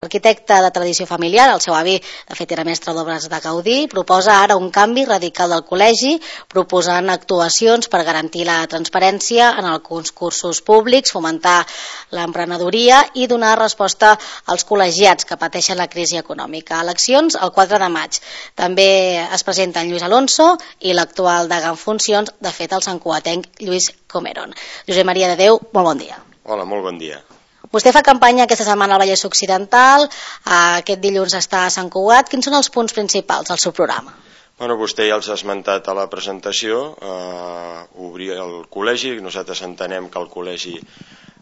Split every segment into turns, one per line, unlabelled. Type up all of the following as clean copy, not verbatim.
arquitecte de tradició familiar, el seu avi de fet era mestre d'obres de Gaudí, proposa ara un canvi radical del col·legi, proposant actuacions per garantir la transparència en els concursos públics, fomentar l'emprenedoria i donar resposta als col·legiats que pateixen la crisi econòmica. Eleccions el 4 de maig. També es presenten Lluís Alonso i l'actual degà en funcions, de fet el santcugatenc Lluís Comeron. Josep Maria de Déu, molt bon dia.
Hola, molt bon dia.
Vostè fa campanya aquesta setmana al Vallès Occidental, aquest dilluns està a Sant Cugat. Quins són els punts principals del seu programa?
Bueno, vostè ja els ha esmentat a la presentació, obrir el col·legi. Nosaltres entenem que el col·legi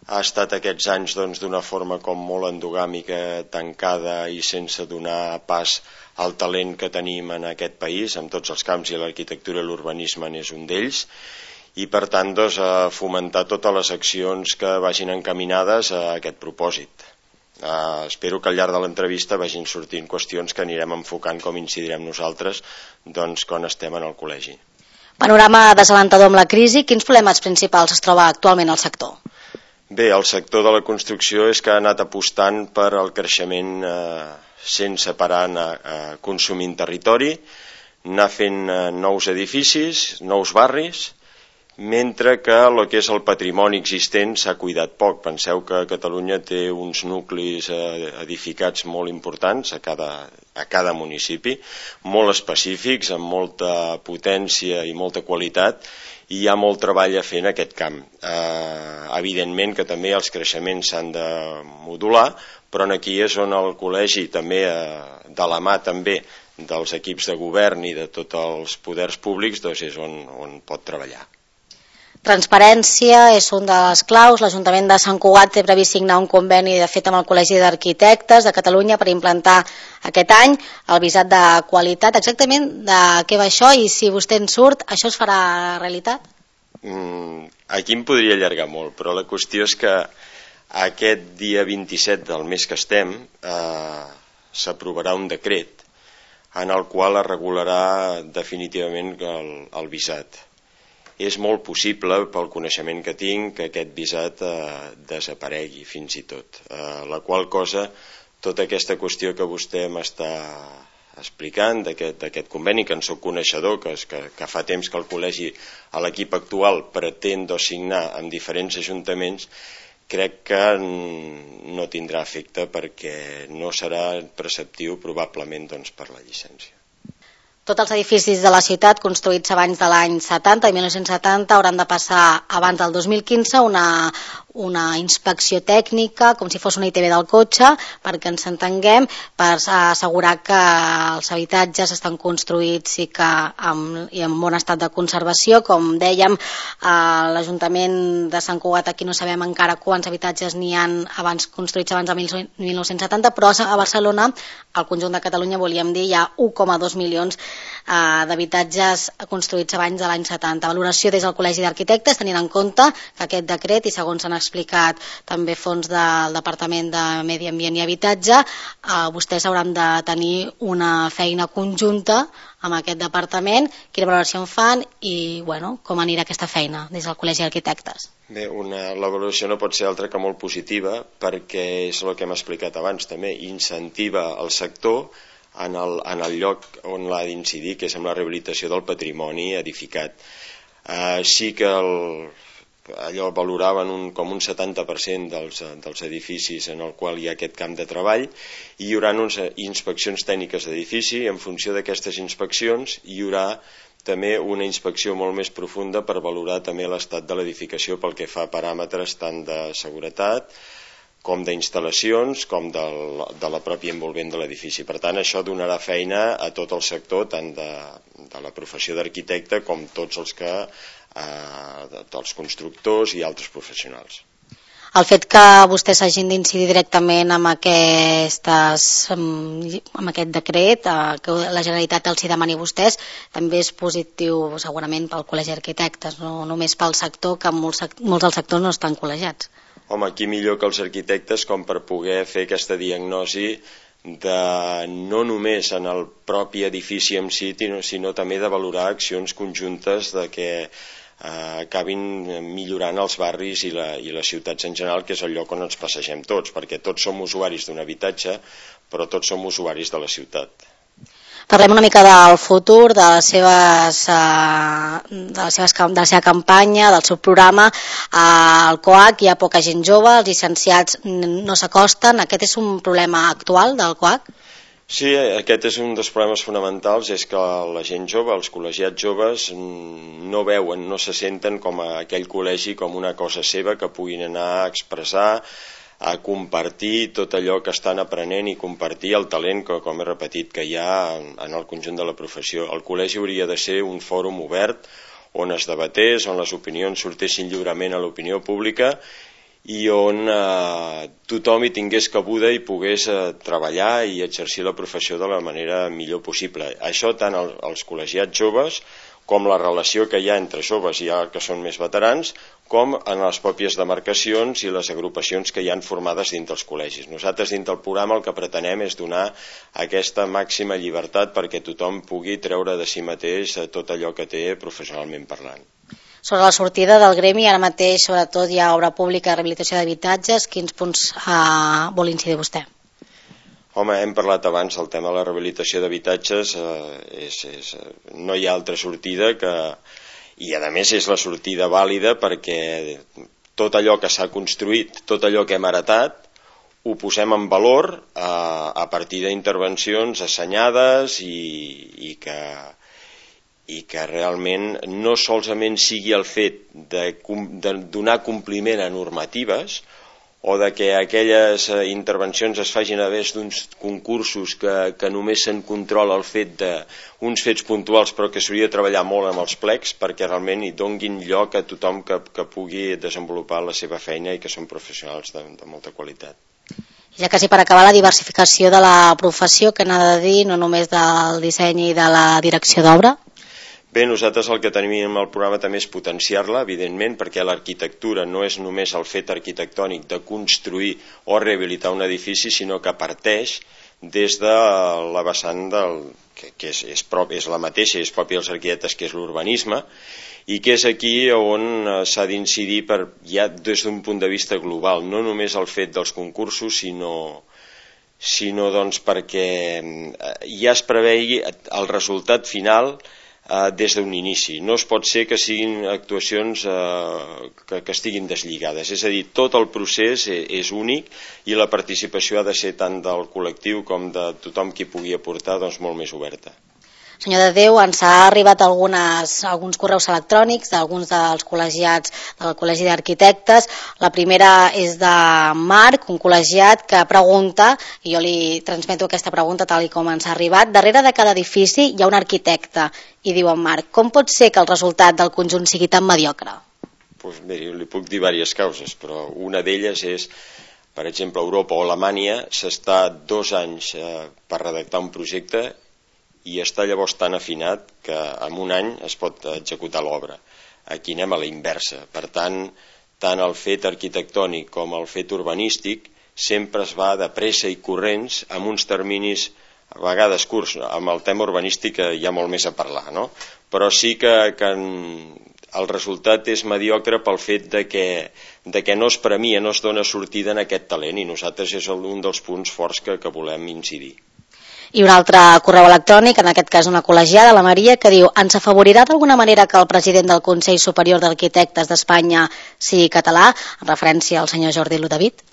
ha estat aquests anys d'una forma com molt endogàmica, tancada i sense donar pas al talent que tenim en aquest país, en tots els camps, i l'arquitectura i l'urbanisme n'és un d'ells, i per tant fomentar totes les accions que vagin encaminades a aquest propòsit. Espero que al llarg de l'entrevista vagin sortint qüestions que anirem enfocant com incidirem nosaltres quan estem en el col·legi.
Panorama desalentador amb la crisi, quins problemes principals es troba actualment al sector?
Bé, el sector de la construcció és que ha anat apostant per al creixement sense parar a consumint territori, anar fent nous edificis, nous barris, mentre que el que és el patrimoni existent s'ha cuidat poc. Penseu que Catalunya té uns nuclis edificats molt importants a cada municipi, molt específics, amb molta potència i molta qualitat, i hi ha molt treball a fer en aquest camp. Evidentment que també els creixements s'han de modular, però aquí és on el col·legi també, de la mà també dels equips de govern i de tots els poders públics, és on pot treballar.
Transparència és un dels claus. L'Ajuntament de Sant Cugat té previst signar un conveni, de fet, amb el Col·legi d'Arquitectes de Catalunya per implantar aquest any el visat de qualitat. Exactament de què va això i si vostè en surt, això es farà realitat?
Aquí em podria allargar molt, però la qüestió és que aquest dia 27 del mes que estem s'aprovarà un decret en el qual es regularà definitivament el visat. És molt possible, pel coneixement que tinc, que aquest visat desaparegui fins i tot. La qual cosa, tota aquesta qüestió que vostè m'està explicant d'aquest conveni, que en soc coneixedor, que fa temps que el col·legi a l'equip actual pretén signar amb diferents ajuntaments, crec que no tindrà efecte perquè no serà preceptiu probablement per la llicència.
Tots els edificis de la ciutat construïts abans de l'any 70 i 1970 hauran de passar abans del 2015 una inspecció tècnica, com si fos una ITV del cotxe, perquè ens entenguem, per assegurar que els habitatges estan construïts i en bon estat de conservació. Com dèiem, l'Ajuntament de Sant Cugat, aquí no sabem encara quants habitatges n'hi ha construïts abans de 1970, però a Barcelona, al conjunt de Catalunya, volíem dir, hi ha 1,2 milions d'habitatges construïts abans de l'any 70. Valoració des del Col·legi d'Arquitectes, tenint en compte que aquest decret, i segons s'han explicat també fons del Departament de Medi Ambient i Habitatge, vostès hauran de tenir una feina conjunta amb aquest departament. Quina valoració en fan i com anirà aquesta feina des del Col·legi d'Arquitectes?
Bé, la valoració no pot ser altra que molt positiva, perquè és el que hem explicat abans també, incentiva el sector en el lloc on l'ha d'incidir, que és en la rehabilitació del patrimoni edificat. Sí que allò valoraven com un 70% dels edificis en el qual hi ha aquest camp de treball, i hi haurà unes inspeccions tècniques d'edifici. En funció d'aquestes inspeccions hi haurà també una inspecció molt més profunda per valorar també l'estat de l'edificació pel que fa a paràmetres tant de seguretat com d'instal·lacions, com de la pròpia envolvent de l'edifici. Per tant, això donarà feina a tot el sector, tant de la professió d'arquitecte com tots els constructors i altres professionals.
El fet que vostès hagin d'incidir directament amb aquest decret, que la Generalitat els hi demani a vostès, també és positiu segurament pel Col·legi d'Arquitectes, no només pel sector, que molts dels sectors no estan col·legiats.
Home, qui millor que els arquitectes com per poder fer aquesta diagnosi no només en el propi edifici en si, sinó també de valorar accions conjuntes de que acabin millorant els barris i les ciutats en general, que és el lloc on ens passegem tots, perquè tots som usuaris d'un habitatge, però tots som usuaris de la ciutat.
Parlem una mica del futur, de la seva campanya, del seu programa. Al COAC hi ha poca gent jove, els llicenciats no s'acosten. Aquest és un problema actual del COAC?
Sí, aquest és un dels problemes fonamentals, és que la gent jove, els col·legiats joves, no veuen, no se senten com a aquell col·legi com una cosa seva que puguin anar a expressar, a compartir tot allò que estan aprenent i compartir el talent que, com he repetit, que hi ha en el conjunt de la professió. El col·legi hauria de ser un fòrum obert on es debatés, on les opinions sortessin lliurement a l'opinió pública i on tothom hi tingués cabuda i pogués treballar i exercir la professió de la manera millor possible. Això tant als col·legiats joves com la relació que hi ha entre joves i que són més veterans, com en les pròpies demarcacions i les agrupacions que hi han formades dins dels col·legis. Nosaltres dins del programa el que pretenem és donar aquesta màxima llibertat perquè tothom pugui treure de si mateix tot allò que té professionalment parlant.
Sobre la sortida del gremi, ara mateix sobretot hi ha obra pública de rehabilitació d'habitatges. Quins punts vol incidir vostè?
Home, hem parlat abans del tema de la rehabilitació d'habitatges, no hi ha altra sortida i a més és la sortida vàlida perquè tot allò que s'ha construït, tot allò que hem heretat, ho posem en valor a partir d'intervencions assenyades i que realment no solament sigui el fet de donar compliment a normatives o de que aquelles intervencions es facin a través d'uns concursos que només se'n controla el fet d'uns fets puntuals però que s'hauria de treballar molt amb els plecs perquè realment hi donguin lloc a tothom que pugui desenvolupar la seva feina i que són professionals de molta qualitat.
Ja quasi per acabar, la diversificació de la professió, que n'ha de dir, no només del disseny i de la direcció d'obra?
Bé, nosaltres el que tenim al programa també és potenciar-la, evidentment, perquè l'arquitectura no és només el fet arquitectònic de construir o rehabilitar un edifici, sinó que parteix des de la vessant que és la mateixa, és pròpia dels arquitectes, que és l'urbanisme, i que és aquí on s'ha d'incidir ja des d'un punt de vista global, no només el fet dels concursos, sinó doncs perquè ja es prevegi el resultat final des d'un inici. No es pot ser que siguin actuacions que estiguin deslligades, és a dir, tot el procés és únic i la participació ha de ser tant del col·lectiu com de tothom qui pugui aportar molt més oberta.
Senyor de Déu, ens ha arribat alguns correus electrònics d'alguns dels col·legiats del Col·legi d'Arquitectes. La primera és de Marc, un col·legiat que pregunta, i jo li transmeto aquesta pregunta tal com ens ha arribat: darrere de cada edifici hi ha un arquitecte, i diu en Marc, com pot ser que el resultat del conjunt sigui tan mediocre?
Doncs miri, li puc dir diverses causes, però una d'elles és, per exemple, a Europa o a Alemanya s'està 2 anys per redactar un projecte i està llavors tan afinat que en 1 any es pot executar l'obra. Aquí anem a la inversa. Per tant el fet arquitectònic com el fet urbanístic sempre es va de pressa i corrents amb uns terminis a vegades curts. Amb el tema urbanístic hi ha molt més a parlar, no? Però sí que el resultat és mediocre pel fet de que no es premia, no es dona sortida en aquest talent, i nosaltres és un dels punts forts que volem incidir.
I un altre correu electrònic, en aquest cas una col·legiada, la Maria, que diu: ens afavorirà d'alguna manera que el president del Consell Superior d'Arquitectes d'Espanya sigui català, en referència al senyor Jordi Ludovic?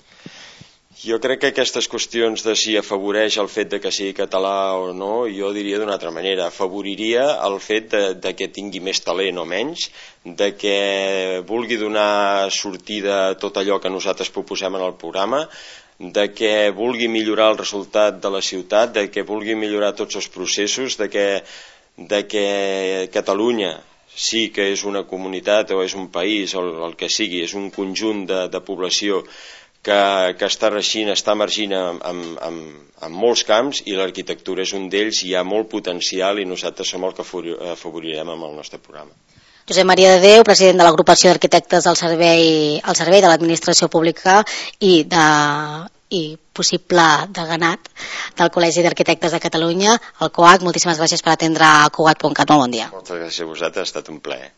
Jo crec que aquestes qüestions de si afavoreix el fet de que sigui català o no, jo diria d'una altra manera, afavoriria el fet de que tingui més talent o menys, de que vulgui donar sortida a tot allò que nosaltres proposem en el programa, de que vulgui millorar el resultat de la ciutat, de que vulgui millorar tots els processos, de que Catalunya sí que és una comunitat o és un país o el que sigui, és un conjunt de població que està emergint en molts camps, i l'arquitectura és un d'ells, i hi ha molt potencial i nosaltres som el que afavorirem amb el nostre programa.
Josep Maria de Déu, president de l'Agrupació d'Arquitectes al servei de l'Administració Pública i possible deganat del Col·legi d'Arquitectes de Catalunya, el COAC. Moltíssimes gràcies per atendre a Cugat.cat. Molt bon dia.
Moltes gràcies a vosaltres, ha estat un plaer.